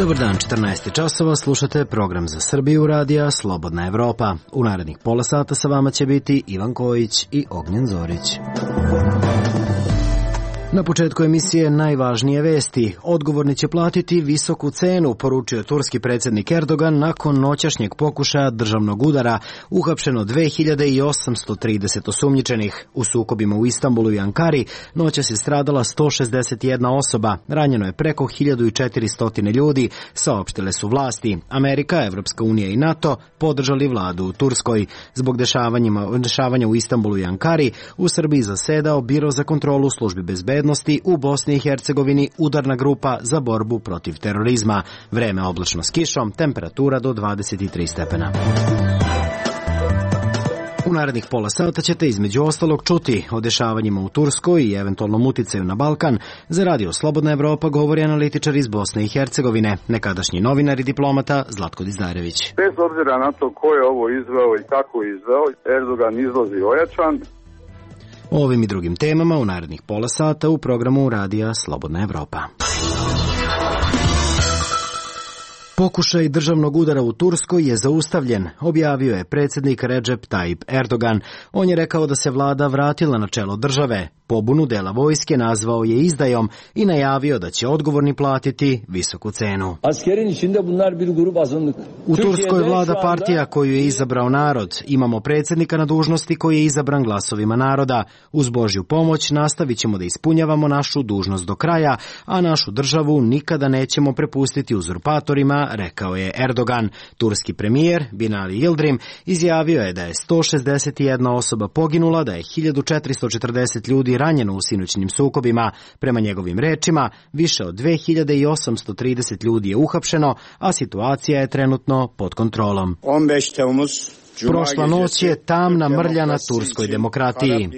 Dobar dan, 14 časova, slušate program za Srbiju radija Slobodna Evropa. U narednih pola sata sa vama će biti Ivan Kojić i Ognjen Zorić. Na početku emisije najvažnije vesti. Odgovorni će platiti visoku cenu, poručio turski predsjednik Erdogan nakon noćašnjeg pokušaja državnog udara. Uhapšeno 2830 osumnjičenih. U sukobima u Istanbulu i Ankari noćas je stradala 161 osoba. Ranjeno je preko 1400 ljudi, saopštile su vlasti. Amerika, Evropska unija i NATO podržali vladu u Turskoj. Zbog dešavanja u Istanbulu i Ankari, u Srbiji zasedao Biro za kontrolu službi bezbednosti u Bosni i Hercegovini, udarna grupa za borbu protiv terorizma. Vreme oblačno s kišom, temperatura do 23 stepena. U narednih pola sata ćete između ostalog čuti o dešavanjima u Turskoj i eventualnom uticaju na Balkan. Za radio Slobodna Evropa govori analitičar iz Bosne i Hercegovine, nekadašnji novinar i diplomata Zlatko Dizdarević. Bez obzira na to ko je ovo izveo i kako je izveo, Erdogan izlazi ojačan. O ovim i drugim temama u narednih pola sata u programu radija Slobodna Evropa. Pokušaj državnog udara u Turskoj je zaustavljen, objavio je predsjednik Recep Tayyip Erdogan. On je rekao da se vlada vratila na čelo države. Pobunu dela vojske nazvao je izdajom i najavio da će odgovorni platiti visoku cenu. U Turskoj vlada partija koju je izabrao narod. Imamo predsjednika na dužnosti koji je izabran glasovima naroda. Uz Božju pomoć nastavit ćemo da ispunjavamo našu dužnost do kraja, a našu državu nikada nećemo prepustiti uzurpatorima, rekao je Erdogan. Turski premijer Binali Yildirim izjavio je da je 161 osoba poginula, da je 1440 ljudi ranjeno u sinoćnim sukobima. Prema njegovim rečima, više od 2830 ljudi je uhapšeno, a situacija je trenutno pod kontrolom. Prošla noć je tamna mrlja na turskoj demokratiji.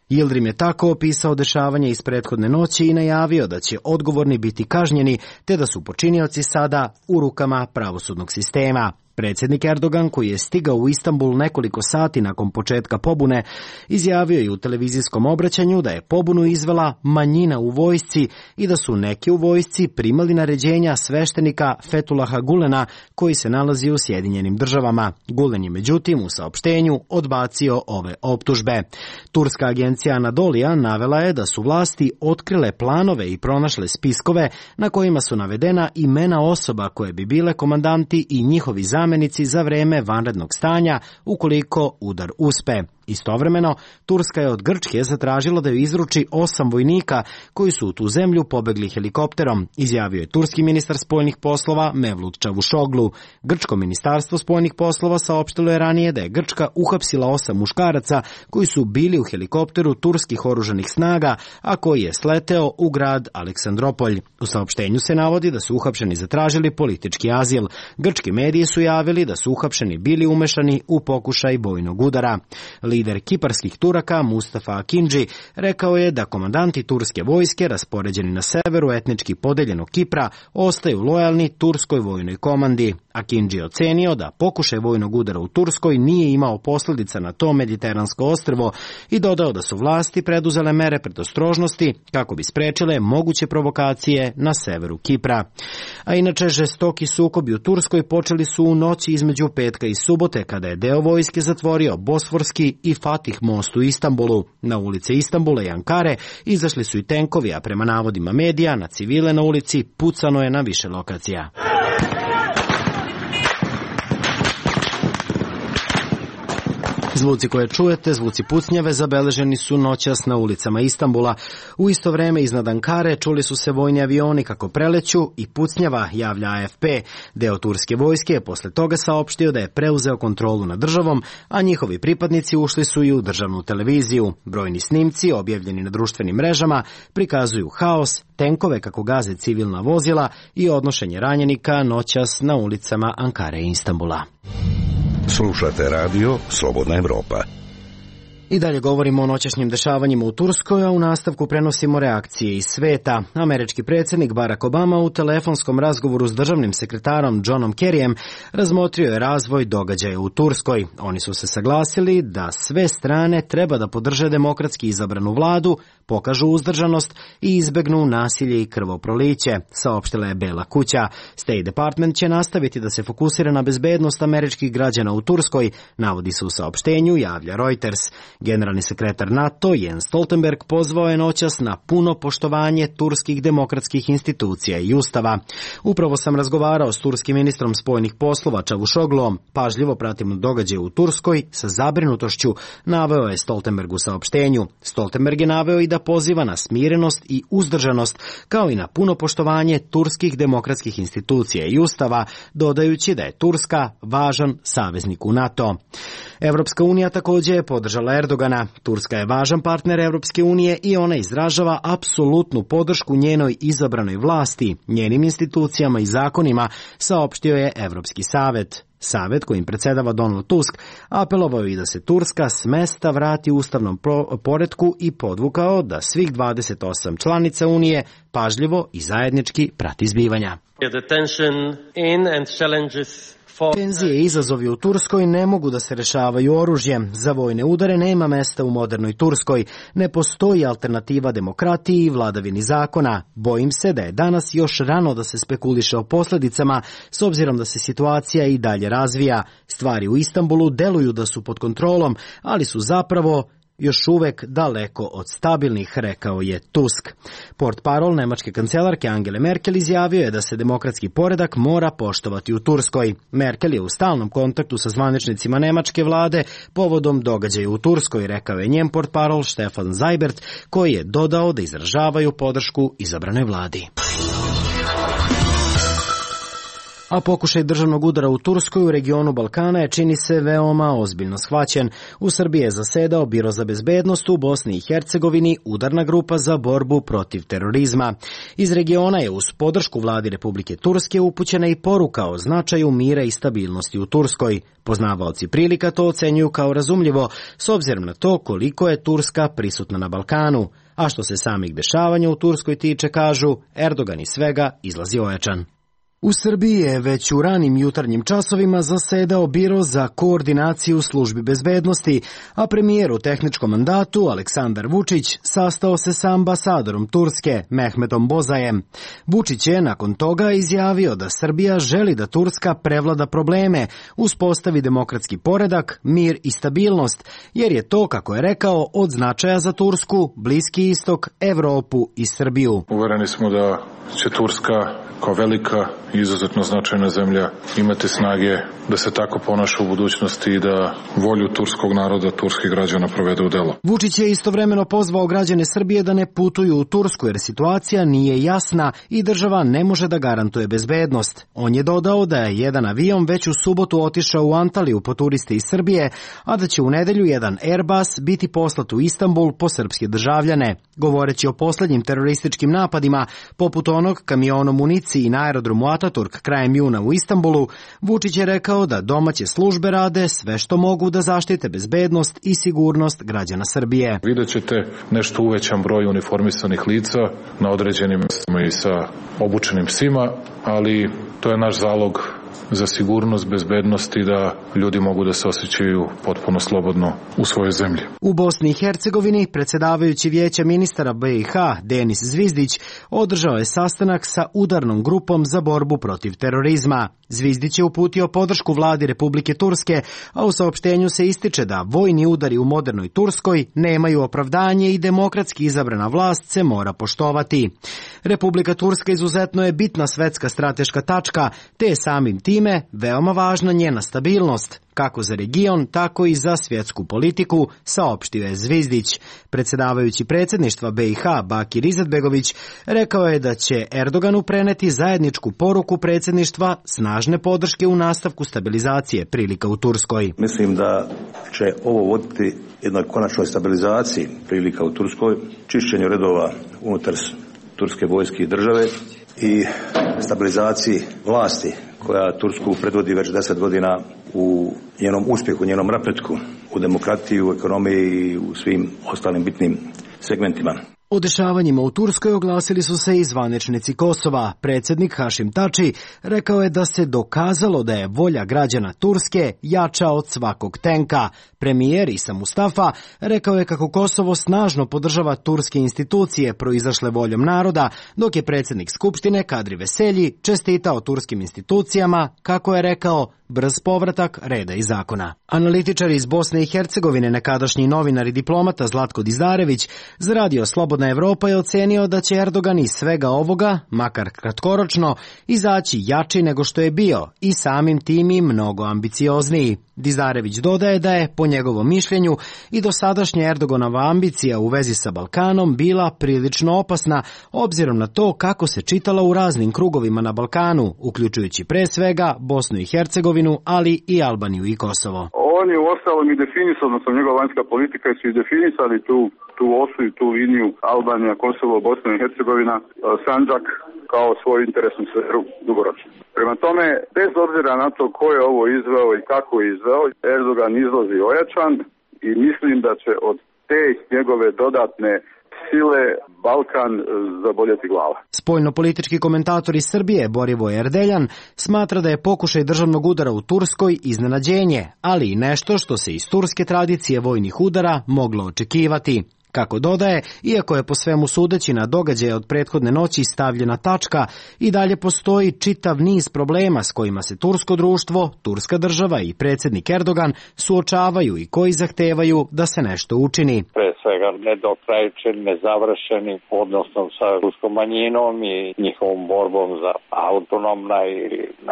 Yildirim je tako opisao dešavanje iz prethodne noći i najavio da će odgovorni biti kažnjeni, te da su počinioci sada u rukama pravosudnog sistema. Predsjednik Erdogan, koji je stigao u Istanbul nekoliko sati nakon početka pobune, izjavio je u televizijskom obraćanju da je pobunu izvela manjina u vojsci i da su neki u vojsci primali naređenja sveštenika Fethullaha Gulena, koji se nalazi u Sjedinjenim Državama. Gulen je međutim u saopštenju odbacio ove optužbe. Turska agencija Anadolija navela je da su vlasti otkrile planove i pronašle spiskove na kojima su navedena imena osoba koje bi bile komandanti i njihovi zamjenici za vreme vanrednog stanja ukoliko udar uspe. Istovremeno, Turska je od Grčke zatražila da joj izruči 8 vojnika koji su u tu zemlju pobegli helikopterom, izjavio je turski ministar spoljnih poslova Mevlut Čavuşoglu. Grčko ministarstvo spoljnih poslova saopštilo je ranije da je Grčka uhapsila 8 muškaraca koji su bili u helikopteru turskih oružanih snaga, a koji je sleteo u grad Aleksandropolj. U saopštenju se navodi da su uhapšeni zatražili politički azil. Grčki mediji su javili da su uhapšeni bili umešani u pokušaj vojnog udara. Lider kiparskih Turaka Mustafa Akindži rekao je da komandanti turske vojske raspoređeni na severu etnički podeljenog Kipra ostaju lojalni turskoj vojnoj komandi. Akindži je ocenio da pokušaj vojnog udara u Turskoj nije imao posljedica na to mediteransko ostrvo i dodao da su vlasti preduzele mere predostrožnosti kako bi sprečile moguće provokacije na severu Kipra. A inače, žestoki sukobi u Turskoj počeli su u noći između petka i subote, kada je deo vojske zatvorio Bosforski i Fatih most u Istanbulu. Na ulice Istanbula i Ankare izašli su i tenkovi, a prema navodima medija na civile na ulici pucano je na više lokacija. Zvuci koje čujete, zvuci pucnjave, zabeleženi su noćas na ulicama Istanbula. U isto vreme iznad Ankare čuli su se vojni avioni kako preleću i pucnjava, javlja AFP. Deo turske vojske je posle toga saopštio da je preuzeo kontrolu nad državom, a njihovi pripadnici ušli su i u državnu televiziju. Brojni snimci, objavljeni na društvenim mrežama, prikazuju haos, tenkove kako gaze civilna vozila i odnošenje ranjenika noćas na ulicama Ankare i Istanbula. Slušate radio Slobodna Evropa. I dalje govorimo o noćašnjim dešavanjima u Turskoj, a u nastavku prenosimo reakcije iz sveta. Američki predsjednik Barack Obama u telefonskom razgovoru s državnim sekretarom Johnom Kerryjem razmotrio je razvoj događaja u Turskoj. Oni su se saglasili da sve strane treba da podrže demokratski izabranu vladu, pokažu uzdržanost i izbegnu nasilje i krvoproliće, saopštila je Bela kuća. State Department će nastaviti da se fokusira na bezbednost američkih građana u Turskoj, navodi se u saopštenju, javlja Reuters. Generalni sekretar NATO Jens Stoltenberg pozvao je noćas na puno poštovanje turskih demokratskih institucija i ustava. Upravo sam razgovarao s turskim ministrom spoljnih poslova Čavuşogluom. Pažljivo pratimo događaje u Turskoj sa zabrinutošću, naveo je Stoltenberg u saopštenju. Stoltenberg je naveo i da poziva na smirenost i uzdržanost, kao i na puno poštovanje turskih demokratskih institucija i ustava, dodajući da je Turska važan saveznik u NATO. Evropska unija također je podržala Erdogana. Turska je važan partner Evropske unije i ona izražava apsolutnu podršku njenoj izabranoj vlasti, njenim institucijama i zakonima, saopštio je Evropski savet. Savet kojim predsjedava Donald Tusk apelovao i da se Turska s mesta vrati ustavnom poretku i podvukao da svih 28 članica Unije pažljivo i zajednički prati zbivanja. Tenzije i izazovi u Turskoj ne mogu da se rešavaju oružjem. Za vojne udare nema mesta u modernoj Turskoj. Ne postoji alternativa demokratiji i vladavini zakona. Bojim se da je danas još rano da se spekuliše o posljedicama, s obzirom da se situacija i dalje razvija. Stvari u Istanbulu deluju da su pod kontrolom, ali su zapravo još uvek daleko od stabilnih, rekao je Tusk. Portparol nemačke kancelarke Angele Merkel izjavio je da se demokratski poredak mora poštovati u Turskoj. Merkel je u stalnom kontaktu sa zvaničnicima nemačke vlade povodom događaja u Turskoj, rekao je njen portparol Stefan Seibert, koji je dodao da izražavaju podršku izabranoj vladi. A pokušaj državnog udara u Turskoj u regionu Balkana je, čini se, veoma ozbiljno shvaćen. U Srbiji je zasedao Biro za bezbednost, u Bosni i Hercegovini udarna grupa za borbu protiv terorizma. Iz regiona je uz podršku vladi Republike Turske upućena i poruka o značaju mira i stabilnosti u Turskoj. Poznavaoci prilika to ocenjuju kao razumljivo, s obzirom na to koliko je Turska prisutna na Balkanu. A što se samih dešavanja u Turskoj tiče, kažu, Erdogan iz svega izlazi ojačan. U Srbiji je već u ranim jutarnjim časovima zasedao Biro za koordinaciju službi bezbednosti, a premijer u tehničkom mandatu Aleksandar Vučić sastao se sa ambasadorom Turske Mehmetom Bozajem. Vučić je nakon toga izjavio da Srbija želi da Turska prevlada probleme, uspostavi demokratski poredak, mir i stabilnost, jer je to, kako je rekao, od značaja za Tursku, Bliski istok, Evropu i Srbiju. Uvereni smo da će Turska kao velika i izuzetno značajna zemlja imati snage da se tako ponaša u budućnosti i da volju turskog naroda, turskih građana provede u delo. Vučić je istovremeno pozvao građane Srbije da ne putuju u Tursku jer situacija nije jasna i država ne može da garantuje bezbednost. On je dodao da je jedan avion već u subotu otišao u Antaliju po turiste iz Srbije, a da će u nedelju jedan Airbus biti poslat u Istanbul po srpske državljane. Govoreći o posljednjim terorističkim napadima, poput onog kamionom municiji na aerodromu Ataturk krajem juna u Istanbulu, Vučić je rekao da domaće službe rade sve što mogu da zaštite bezbednost i sigurnost građana Srbije. Vidjet ćete nešto uvećan broj uniformisanih lica na određenim mestima i sa obučenim psima, ali to je naš zalog za sigurnost, bezbednost i da ljudi mogu da se osjećaju potpuno slobodno u svojoj zemlji. U Bosni i Hercegovini predsjedavajući Vijeća ministara BiH Denis Zvizdić održao je sastanak sa udarnom grupom za borbu protiv terorizma. Zvizdić je uputio podršku vladi Republike Turske, a u saopštenju se ističe da vojni udari u modernoj Turskoj nemaju opravdanje i demokratski izabrana vlast se mora poštovati. Republika Turska izuzetno je bitna svetska strateška tačka, te je samim time veoma važna njena stabilnost, kako za region, tako i za svjetsku politiku, saopštio je Zvizdić. Predsjedavajući predsjedništva BiH Bakir Izetbegović rekao je da će Erdoganu preneti zajedničku poruku predsjedništva snažne podrške u nastavku stabilizacije prilika u Turskoj. Mislim da će ovo voditi jednoj konačnoj stabilizaciji prilika u Turskoj, čišćenju redova unutar turske vojske i države i stabilizaciji vlasti koja Tursku predvodi već 10 godina u njenom uspjehu, njenom napretku. u demokratiji, u ekonomiji i u svim ostalim bitnim segmentima. O dešavanjima u Turskoj oglasili su se i zvaničnici Kosova. Predsjednik Hašim Tači rekao je da se dokazalo da je volja građana Turske jača od svakog tenka. Premijer Isa Mustafa rekao je kako Kosovo snažno podržava turske institucije proizašle voljom naroda, dok je predsjednik Skupštine Kadri Veselji čestitao turskim institucijama, kako je rekao, brz povratak reda i zakona. Analitičar iz Bosne i Hercegovine, nekadašnji novinar i diplomata Zlatko Dizarević, za radio Slobodna Evropa je ocenio da će Erdogan iz svega ovoga, makar kratkoročno, izaći jači nego što je bio i samim tim i mnogo ambiciozniji. Dizarević dodaje da je, po njegovom mišljenju, i dosadašnja Erdoganova ambicija u vezi sa Balkanom bila prilično opasna, obzirom na to kako se čitala u raznim krugovima na Balkanu, uključujući pre svega Bosnu i Hercegovinu, ali i Albaniju i Kosovo. On je u ostalom i definisao, odnosno njegova vanjska politika su i definisali tu osu i tu liniju Albanija, Kosovo, Bosna i Hercegovina, Sandžak kao svoju interesnu sferu dugoročno. Prema tome, bez obzira na to ko je ovo izveo i kako je izveo, Erdogan izlazi ojačan i mislim da će od te njegove dodatne sile Balkan zaboljeti glava. Spoljnopolitički komentator iz Srbije Borivoje Erdeljan smatra da je pokušaj državnog udara u Turskoj iznenađenje, ali i nešto što se iz turske tradicije vojnih udara moglo očekivati. Kako dodaje, iako je po svemu sudeći na događaje od prethodne noći stavljena tačka, i dalje postoji čitav niz problema s kojima se tursko društvo, turska država i predsjednik Erdogan suočavaju i koji zahtevaju da se nešto učini. Pre svega nedokrajčen, nezavršeni, odnosno sa ruskom manjinom i njihovom borbom za autonomna i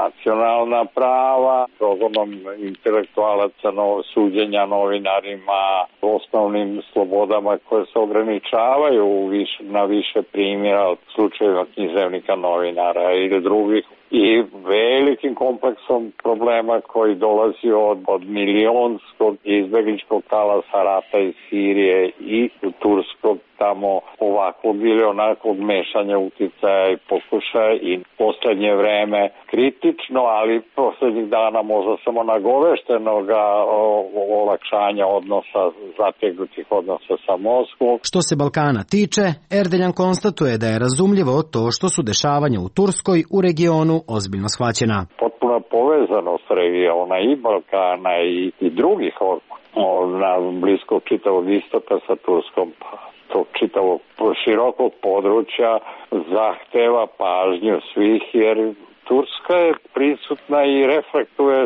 nacionalna prava, progonom intelektualaca, suđenja novinarima, osnovnim slobodama koje se ograničavaju na više primjera od slučajeva književnika, novinara ili drugih, i velikim kompleksom problema koji dolazi od milionskog izbegličkog talasa rata iz Sirije i turskog tamo ovakvog ili onakvog mešanja uticaja i pokušaja, i poslednje vreme kritično, ali poslednjih dana možda samo nagoveštenoga olakšanja odnosa, zategnutih odnosa sa Moskvom. Što se Balkana tiče, Erdeljan konstatuje da je razumljivo to što su dešavanja u Turskoj u regionu ozbiljno shvaćena. Potpuna povezanost regiona i Balkana i drugih na bliskog čitavog istoka sa Turskom, tog čitavog širokog područja zahteva pažnju svih, jer Turska je prisutna i reflektuje,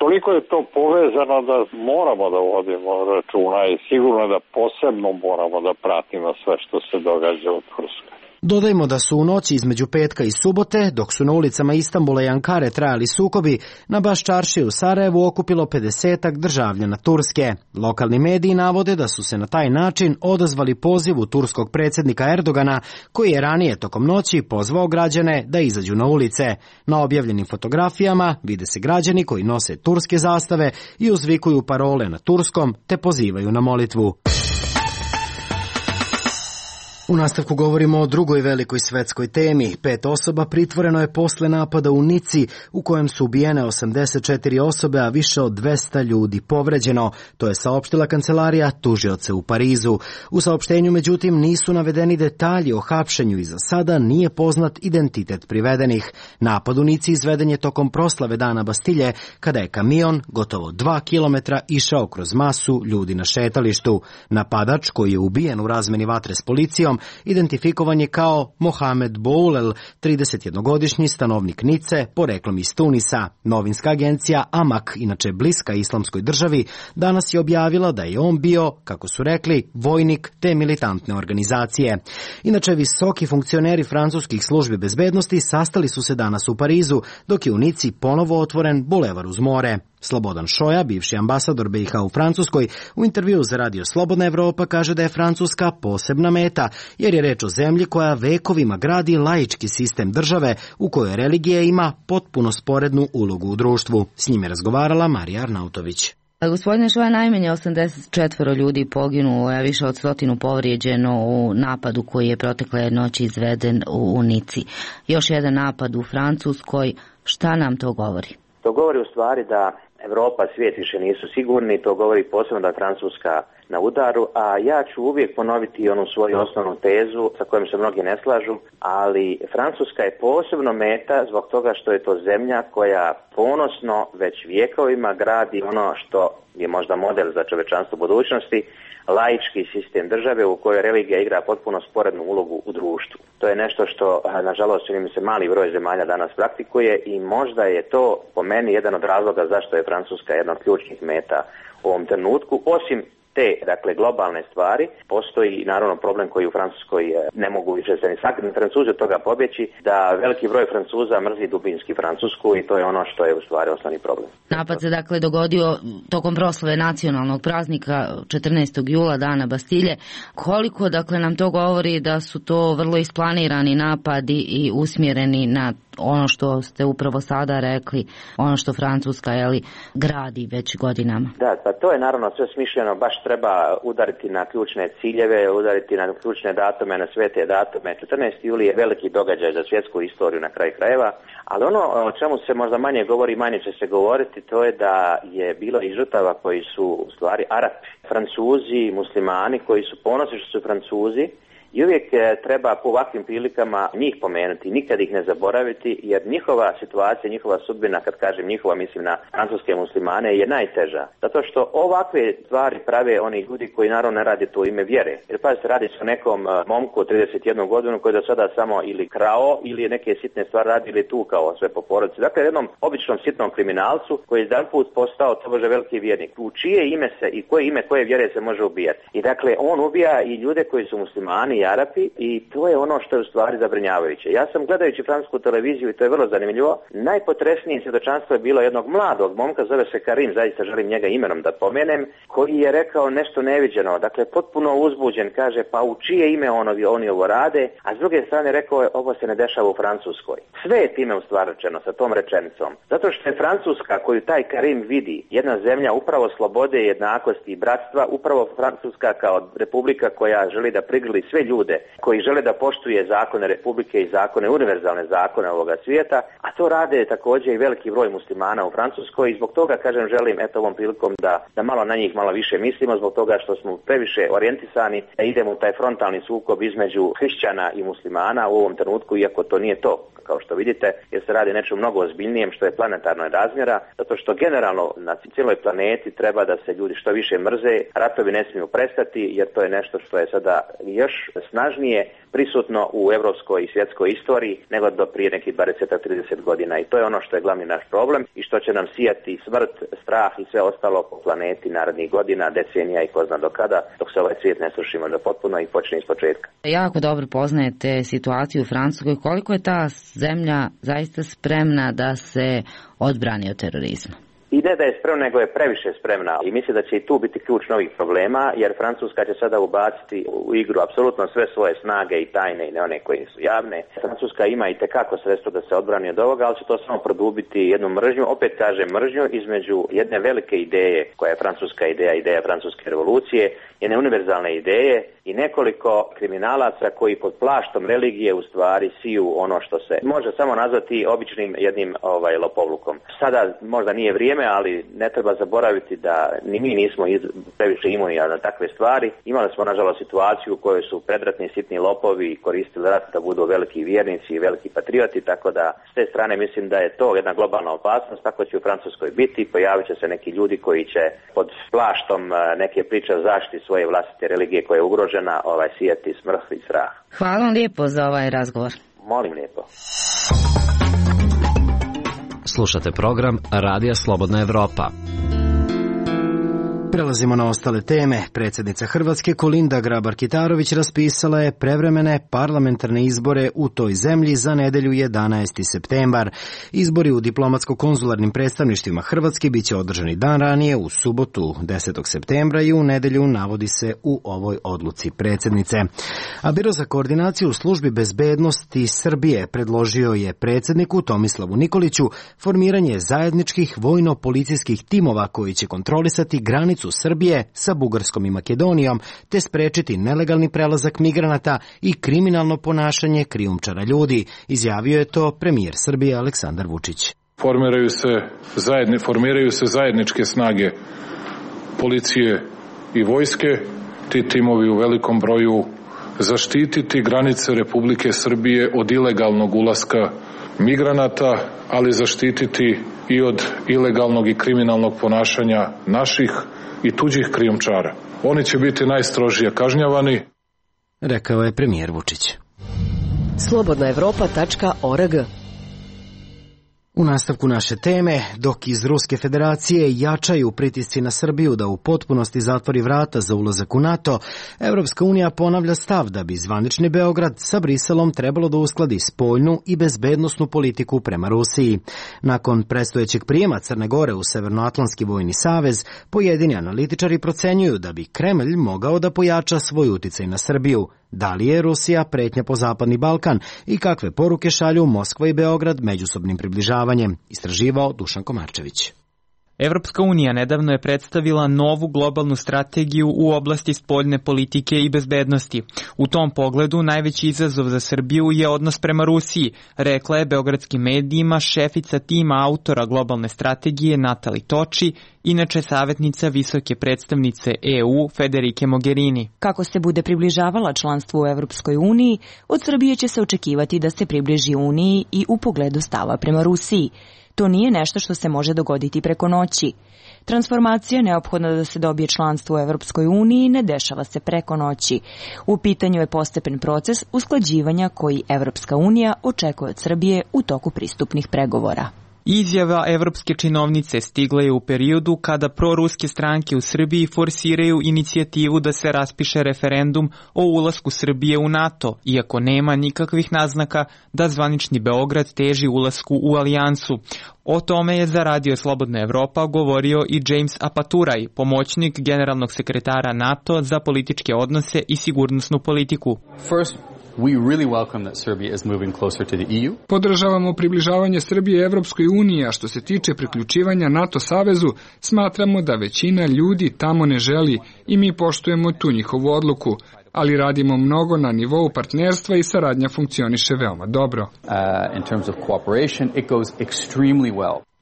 toliko je to povezano da moramo da vodimo računa i sigurno da posebno moramo da pratimo sve što se događa u Turskoj. Dodajmo da su u noći između petka i subote, dok su na ulicama Istanbula i Ankare trajali sukobi, na Baš čaršiji u Sarajevu okupilo 50-ak državljana Turske. Lokalni mediji navode da su se na taj način odazvali pozivu turskog predsjednika Erdogana, koji je ranije tokom noći pozvao građane da izađu na ulice. Na objavljenim fotografijama vide se građani koji nose turske zastave i uzvikuju parole na turskom te pozivaju na molitvu. U nastavku govorimo o drugoj velikoj svetskoj temi. 5 osoba pritvoreno je posle napada u Nici, u kojem su ubijene 84 osobe, a više od 200 ljudi povređeno. To je saopštila kancelarija tužioca u Parizu. U saopštenju, međutim, nisu navedeni detalji o hapšenju i za sada nije poznat identitet privedenih. Napad u Nici izveden je tokom proslave Dana Bastilje, kada je kamion gotovo 2 kilometra išao kroz masu ljudi na šetalištu. Napadač, koji je ubijen u razmeni vatre s policijom, identifikovan je kao Mohamed Boulel, 31-godišnji stanovnik Nice, poreklom iz Tunisa. Novinska agencija Amak, inače bliska islamskoj državi, danas je objavila da je on bio, kako su rekli, vojnik te militantne organizacije. Inače, visoki funkcioneri francuskih službi bezbednosti sastali su se danas u Parizu, dok je u Nici ponovo otvoren bulevar uz more. Slobodan Šoja, bivši ambasador BiH u Francuskoj, u intervju za radio Slobodna Evropa kaže da je Francuska posebna meta, jer je reč o zemlji koja vekovima gradi laički sistem države u kojoj religija ima potpuno sporednu ulogu u društvu. S njim je razgovarala Marija Arnautović. Gospodine Šoja, najmanje 84 ljudi poginulo, a više od 100 povrijeđeno u napadu koji je protekle noći izveden u Nici. Još jedan napad u Francuskoj, šta nam to govori? To govori u stvari da Evropa, svijet više nisu sigurni, to govori posebno da je Francuska na udaru, a ja ću uvijek ponoviti onu svoju osnovnu tezu sa kojom se mnogi ne slažu, ali Francuska je posebno meta zbog toga što je to zemlja koja ponosno već vjekovima gradi ono što je možda model za čovečanstvo budućnosti, laički sistem države u kojoj religija igra potpuno sporednu ulogu u društvu. To je nešto što, nažalost, čini mi se mali broj zemalja danas praktikuje i možda je to po meni jedan od razloga zašto je Francuska jedna od ključnih meta u ovom trenutku, osim te, dakle, globalne stvari. Postoji naravno problem koji u Francuskoj ne mogu više se ni sakriti Francuzi od toga pobjeći, da veliki broj Francuza mrzi dubinski Francusku i to je ono što je u stvari osnovni problem. Napad se dakle dogodio tokom proslave nacionalnog praznika 14. jula, dana Bastilje. Koliko dakle nam to govori da su to vrlo isplanirani napadi i usmjereni na ono što ste upravo sada rekli, ono što Francuska gradi već godinama? Da, pa to je naravno sve smišljeno, baš treba udariti na ključne ciljeve, udariti na ključne datume, na svete datume. 14. juli je veliki događaj za svjetsku istoriju na kraju krajeva, ali ono o čemu se možda manje govori, manje će se govoriti, to je da je bilo i žrtava koji su u stvari Arapi, Francuzi, muslimani koji su ponosni što su Francuzi. I uvijek treba po ovakvim prilikama njih pomenuti, nikad ih ne zaboraviti, jer njihova situacija, njihova sudbina, kad kažem njihova, mislim na francuske muslimane, je najteža. Zato što ovakve stvari prave oni ljudi koji naravno ne rade to u ime vjere. Jer pazite, radi se o nekom momku od 31 godinu koji je do sada samo ili krao ili neke sitne stvari radi ili tukao sve po porodici. Dakle, jednom običnom sitnom kriminalcu koji je jedanput postao tobože veliki vjernik. U čije ime se i koje ime koje vjere se može ubijati. I dakle, on ubija i ljude koji su muslimani, Arapi, i to je ono što je u stvari zabrinjavajuće. Ja sam gledajući francusku televiziju i to je vrlo zanimljivo. Najpotresnije svjedočanstvo je bilo jednog mladog momka, zove se Karim, zaista želim njega imenom da pomenem, koji je rekao nešto neviđeno, dakle potpuno uzbuđen, kaže pa u čije ime oni ovo rade, a s druge strane rekao je ovo se ne dešava u Francuskoj. Sve je time u stvari rečeno sa tom rečenicom. Zato što je Francuska koju taj Karim vidi, jedna zemlja upravo slobode, jednakosti i bratstva, upravo Francuska kao republika koja želi da prigrli sve ljude koji žele da poštuje zakone republike i zakone, univerzalne zakone ovoga svijeta, a to rade također i veliki broj muslimana u Francuskoj i zbog toga, kažem, želim ovom prilikom da malo na njih malo više mislimo, zbog toga što smo previše orijentisani da idemo u taj frontalni sukob između hrišćana i muslimana u ovom trenutku, iako to nije to, kao što vidite, jer se radi nečem mnogo ozbiljnijem što je planetarnog razmjera, zato što generalno na cijeloj planeti treba da se ljudi što više mrze, ratovi ne smiju prestati, jer to je nešto što je sada još snažnije prisutno u evropskoj i svjetskoj istoriji nego do prije nekih 20-30 godina i to je ono što je glavni naš problem i što će nam sijati smrt, strah i sve ostalo po planeti narednih godina, decenija i ko zna do kada, dok se ovaj svijet ne sruši možda potpuno i počne iz početka. Jako dobro poznajete situaciju u Francuskoj. Koliko je ta zemlja zaista spremna da se odbrani od terorizma? I ne da je spremna, nego je previše spremna i mislim da će i tu biti ključ novih problema, jer Francuska će sada ubaciti u igru apsolutno sve svoje snage i tajne i ne one koje su javne. Francuska ima i tekako sredstvo da se odbrani od ovoga, ali će to samo produbiti jednu mržnju, opet kažem mržnju između jedne velike ideje koja je francuska ideja francuske revolucije, jedne univerzalne ideje i nekoliko kriminalaca koji pod plaštom religije u stvari siju ono što se može samo nazvati običnim jednim lopovlukom. Sada možda nije vrijeme, ali ne treba zaboraviti da ni mi nismo previše imuni na takve stvari. Imali smo nažalost situaciju u kojoj su predratni sitni lopovi koristili rat da budu veliki vjernici i veliki patrioti, tako da s te strane mislim da je to jedna globalna opasnost, tako će u Francuskoj biti, pojavit će se neki ljudi koji će pod plaštom neke priče o zaštiti svoje vlastite religije koja je ugrožena sijati smrt i strah. Hvala vam lijepo za ovaj razgovor. Molim lijepo. Slušate program Radija Slobodna Evropa. Prelazimo na ostale teme. Predsjednica Hrvatske Kolinda Grabar-Kitarović raspisala je prevremene parlamentarne izbore u toj zemlji za nedjelju 11. septembar. Izbori u diplomatsko-konzularnim predstavništvima Hrvatske bit će održani dan ranije u subotu 10. septembra i u nedjelju, navodi se u ovoj odluci predsjednice. A Biro za koordinaciju službi bezbednosti Srbije predložio je predsjedniku Tomislavu Nikoliću formiranje zajedničkih vojno-policijskih timova koji će kontrolisati granicu Srbije sa Bugarskom i Makedonijom, te sprečiti nelegalni prelazak migranata i kriminalno ponašanje krijumčara ljudi, izjavio je to premijer Srbije Aleksandar Vučić. formiraju se zajedničke snage policije i vojske. Ti timovi u velikom broju zaštititi granice Republike Srbije od ilegalnog ulaska migranata, ali zaštititi i od ilegalnog i kriminalnog ponašanja naših i tuđih krijumčara. Oni će biti najstrožije kažnjavani, rekao je premijer Vučić. Slobodnaevropa.org. U nastavku naše teme, dok iz Ruske federacije jačaju pritisci na Srbiju da u potpunosti zatvori vrata za ulazak u NATO, Evropska unija ponavlja stav da bi zvanični Beograd sa Briselom trebalo da uskladi spoljnu i bezbednosnu politiku prema Rusiji. Nakon predstojećeg prijema Crne Gore u Severnoatlantski vojni savez, pojedini analitičari procenjuju da bi Kremlj mogao da pojača svoj uticaj na Srbiju. Da li je Rusija pretnja po Zapadni Balkan i kakve poruke šalju Moskva i Beograd međusobnim približavanjem, istraživao Dušan Komarčević. Evropska unija nedavno je predstavila novu globalnu strategiju u oblasti spoljne politike i bezbednosti. U tom pogledu najveći izazov za Srbiju je odnos prema Rusiji, rekla je beogradskim medijima šefica tima autora globalne strategije Natali Toči, inače savjetnica visoke predstavnice EU Federike Mogherini. Kako se bude približavala članstvu u Evropskoj uniji, od Srbije će se očekivati da se približi uniji i u pogledu stava prema Rusiji. To nije nešto što se može dogoditi preko noći. Transformacija neophodna da se dobije članstvo u Evropskoj uniji ne dešava se preko noći. U pitanju je postepen proces usklađivanja koji Evropska unija očekuje od Srbije u toku pristupnih pregovora. Izjava evropske činovnice stigla je u periodu kada proruske stranke u Srbiji forsiraju inicijativu da se raspiše referendum o ulasku Srbije u NATO, iako nema nikakvih naznaka da zvanični Beograd teži ulasku u alijansu. O tome je za Radio Slobodna Evropa govorio i James Apaturaj, pomoćnik generalnog sekretara NATO za političke odnose i sigurnosnu politiku. Podržavamo približavanje Srbije Evropskoj uniji, a što se tiče priključivanja NATO savezu, smatramo da većina ljudi tamo ne želi i mi poštujemo tu njihovu odluku, ali radimo mnogo na nivou partnerstva i saradnja funkcioniše veoma dobro.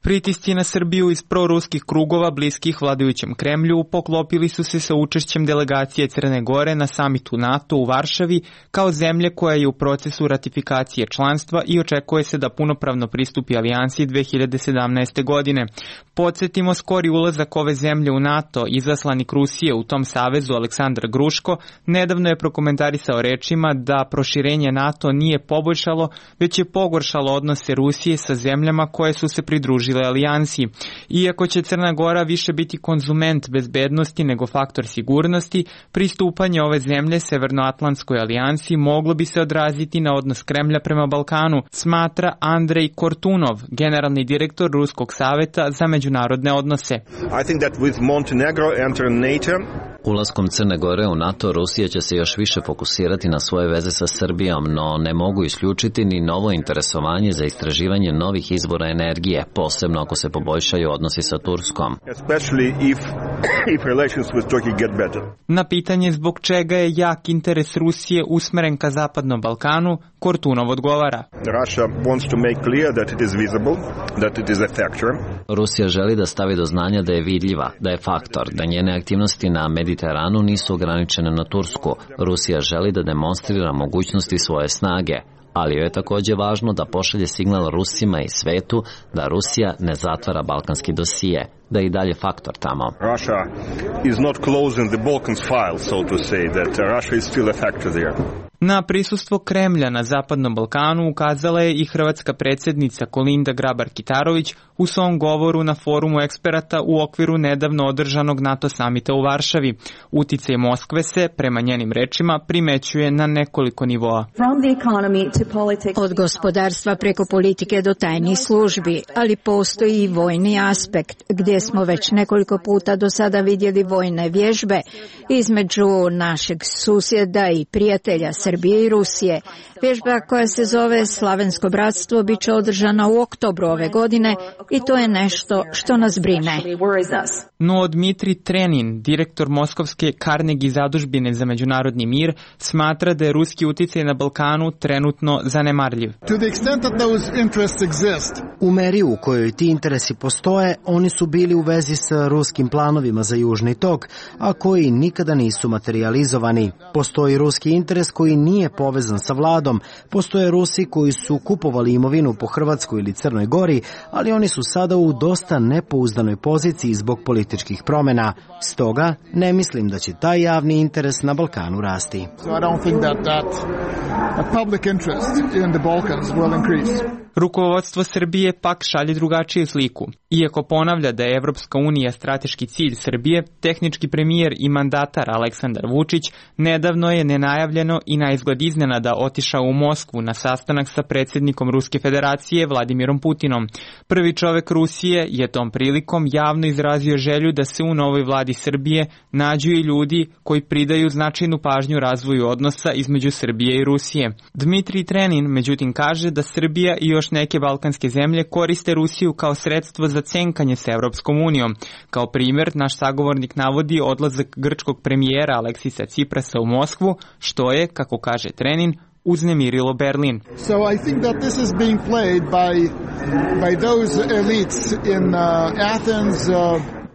Pritisci na Srbiju iz proruskih krugova bliskih vladajućem Kremlju poklopili su se sa učešćem delegacije Crne Gore na samitu NATO u Varšavi kao zemlje koja je u procesu ratifikacije članstva i očekuje se da punopravno pristupi alijansi 2017. godine. Podsjetimo, skori ulazak ove zemlje u NATO, izaslanik Rusije u tom savezu Aleksandar Gruško, nedavno je prokomentarisao rečima da proširenje NATO nije poboljšalo, već je pogoršalo odnose Rusije sa zemljama koje su se pridružile alijansi. Iako će Crna Gora više biti konzument bezbednosti nego faktor sigurnosti, pristupanje ove zemlje Severnoatlantskoj alijansi moglo bi se odraziti na odnos Kremlja prema Balkanu, smatra Andrej Kortunov, generalni direktor Ruskog saveta za međunarodne odnose. Ulaskom Crne Gore u NATO, Rusija će se još više fokusirati na svoje veze sa Srbijom, no ne mogu isključiti ni novo interesovanje za istraživanje novih izvora energije, posebno ako se poboljšaju odnosi sa Turskom. Na pitanje zbog čega je jak interes Rusije usmeren ka Zapadnom Balkanu, Kortunov odgovara. Rusija želi da stavi do znanja da je vidljiva, da je faktor, da njene aktivnosti na Mediteranu nisu ograničene na Tursku. Rusija želi da demonstrira mogućnosti svoje snage, ali joj je također važno da pošalje signal Rusima i svetu da Rusija ne zatvara balkanski dosije, da je i dalje faktor tamo. Russia is not closing the Balkans file, so to say, that Russia is still a factor there. Na prisustvo Kremlja na Zapadnom Balkanu ukazala je i hrvatska predsjednica Kolinda Grabar-Kitarović u svom govoru na forumu eksperata u okviru nedavno održanog NATO samita u Varšavi. Uticaj Moskve se, prema njenim rečima, primećuje na nekoliko nivoa. Od gospodarstva preko politike do tajnih službi, ali postoji i vojni aspekt, gdje smo već nekoliko puta do sada vidjeli vojne vježbe između našeg susjeda i prijatelja Srbije Srbije i Rusije. Vježba koja se zove Slavensko bratstvo biće održana u oktobru ove godine i to je nešto što nas brine. No Dmitrij Trenin, direktor Moskovske Carnegie zadužbine za međunarodni mir, smatra da je ruski uticaj na Balkanu trenutno zanemarljiv. U meri u kojoj ti interesi postoje, oni su bili u vezi s ruskim planovima za Južni tok, a koji nikada nisu materializovani. Postoji ruski interes koji nije povezan sa vladom, postoje Rusi koji su kupovali imovinu po Hrvatskoj ili Crnoj Gori, ali oni su sada u dosta nepouzdanoj poziciji zbog političkih promjena. Stoga ne mislim da će taj javni interes na Balkanu rasti. Rukovodstvo Srbije pak šalje drugačiju sliku. Iako ponavlja da je Evropska unija strateški cilj Srbije, tehnički premijer i mandatar Aleksandar Vučić nedavno je nenajavljeno i na izgled iznenada otišao u Moskvu na sastanak sa predsjednikom Ruske federacije Vladimirom Putinom. Prvi čovek Rusije je tom prilikom javno izrazio želju da se u novoj vladi Srbije nađu i ljudi koji pridaju značajnu pažnju razvoju odnosa između Srbije i Rusije. Dmitrij Trenin međutim kaže da Srbija i još neke balkanske zemlje koriste Rusiju kao sredstvo za cenkanje sa Evropskom unijom. Kao primjer, naš sagovornik navodi odlazak grčkog premijera Aleksisa Ciprasa u Moskvu, što je, kako kaže Trenin, uznemirilo Berlin. So I think that this is being played by those elites in Athens.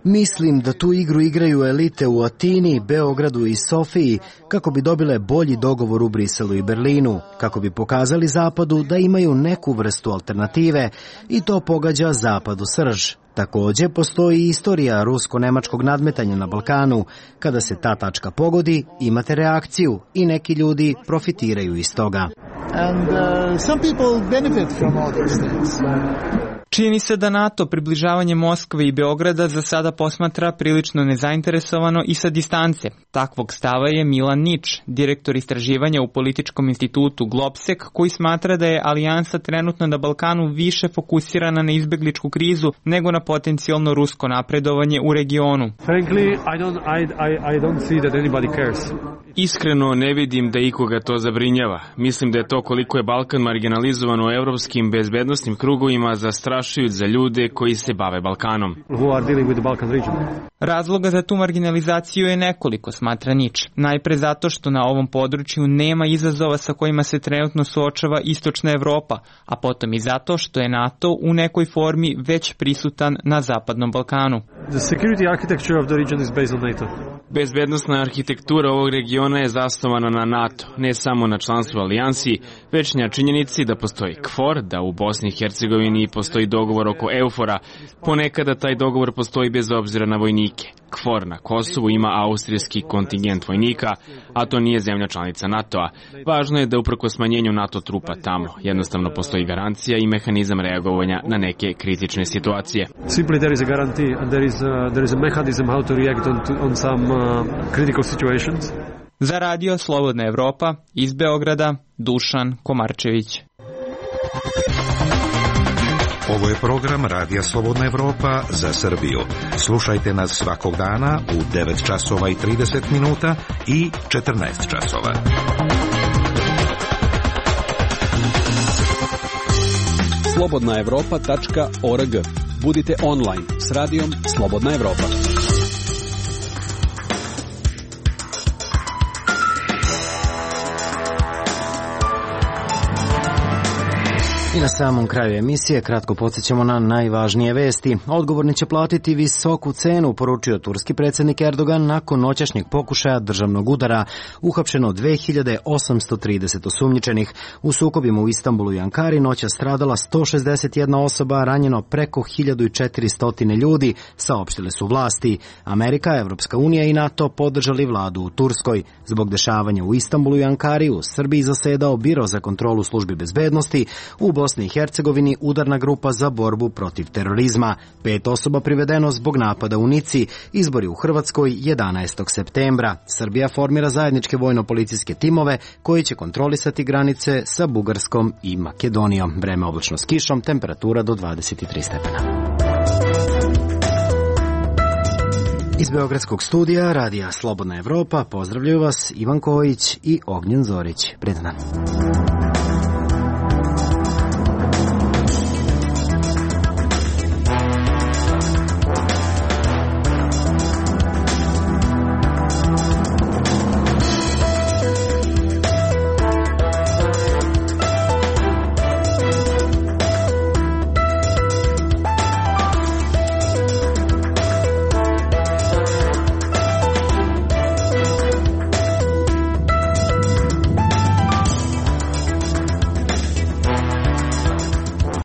Mislim da tu igru igraju elite u Atini, Beogradu i Sofiji kako bi dobile bolji dogovor u Briselu i Berlinu, kako bi pokazali Zapadu da imaju neku vrstu alternative i to pogađa Zapadu srž. Također postoji istorija rusko-nemačkog nadmetanja na Balkanu. Kada se ta tačka pogodi, imate reakciju i neki ljudi profitiraju iz toga. And some people benefit from all these things. Čini se da NATO približavanje Moskve i Beograda za sada posmatra prilično nezainteresovano i sa distance. Takvog stava je Milan Nič, direktor istraživanja u političkom institutu Globsek, koji smatra da je alijansa trenutno na Balkanu više fokusirana na izbegličku krizu nego na potencijalno rusko napredovanje u regionu. Frankly, I don't see that anybody cares. Iskreno ne vidim da ikoga to zabrinjava. Mislim da je to koliko je Balkan marginalizovan u evropskim bezbednostnim krugovima zastrašujuć za ljude koji se bave Balkanom. Razloga za tu marginalizaciju je nekoliko, smatra Nič. Najpre zato što na ovom području nema izazova sa kojima se trenutno suočava istočna Evropa, a potom i zato što je NATO u nekoj formi već prisutan na zapadnom Balkanu. Bezbednostna arhitektura ovog regiona je zasnovana na NATO, ne samo na članstvu alijansi, već na činjenici da postoji KFOR, da u Bosni i Hercegovini postoji dogovor oko EUFOR-a, ponekada taj dogovor postoji bez obzira na vojnike. KFOR na Kosovu ima austrijski kontingent vojnika, a to nije zemlja članica NATO-a. Važno je da uprkos smanjenju NATO trupa tamo jednostavno postoji garancija i mehanizam reagovanja na neke kritične situacije. Simply there is a guarantee and there is a mechanism how to react on some critical situations. Za radio Slobodna Evropa iz Beograda, Dušan Komarčević. Ovo je program Radija Slobodna Evropa za Srbiju. Slušajte nas svakog dana u 9 časova i 30 minuta i 14 časova. slobodnaevropa.org. Budite online s radijom Slobodna Evropa. I na samom kraju emisije kratko podsjećamo na najvažnije vesti. Odgovorni će platiti visoku cenu, poručio turski predsjednik Erdogan nakon noćašnjeg pokušaja državnog udara. Uhapšeno 2830 osumnjičenih. U sukobima u Istanbulu i Ankari noća stradala 161 osoba, ranjeno preko 1400 ljudi, saopštile su vlasti. Amerika, Evropska unija i NATO podržali vladu u Turskoj. Zbog dešavanja u Istanbulu i Ankari u Srbiji zasedao Biro za kontrolu službi bezbednosti, u Bosni i Hercegovini udarna grupa za borbu protiv terorizma. 5 osoba privedeno zbog napada u Nici, izbori u Hrvatskoj 11. septembra. Srbija formira zajedničke vojno-policijske timove koji će kontrolisati granice sa Bugarskom i Makedonijom. Vreme oblačno s kišom, temperatura do 23 stepena. Iz Beogradskog studija Radija Slobodna Evropa pozdravljaju vas Ivan Kojić i Ognjen Zorić. Pred nama.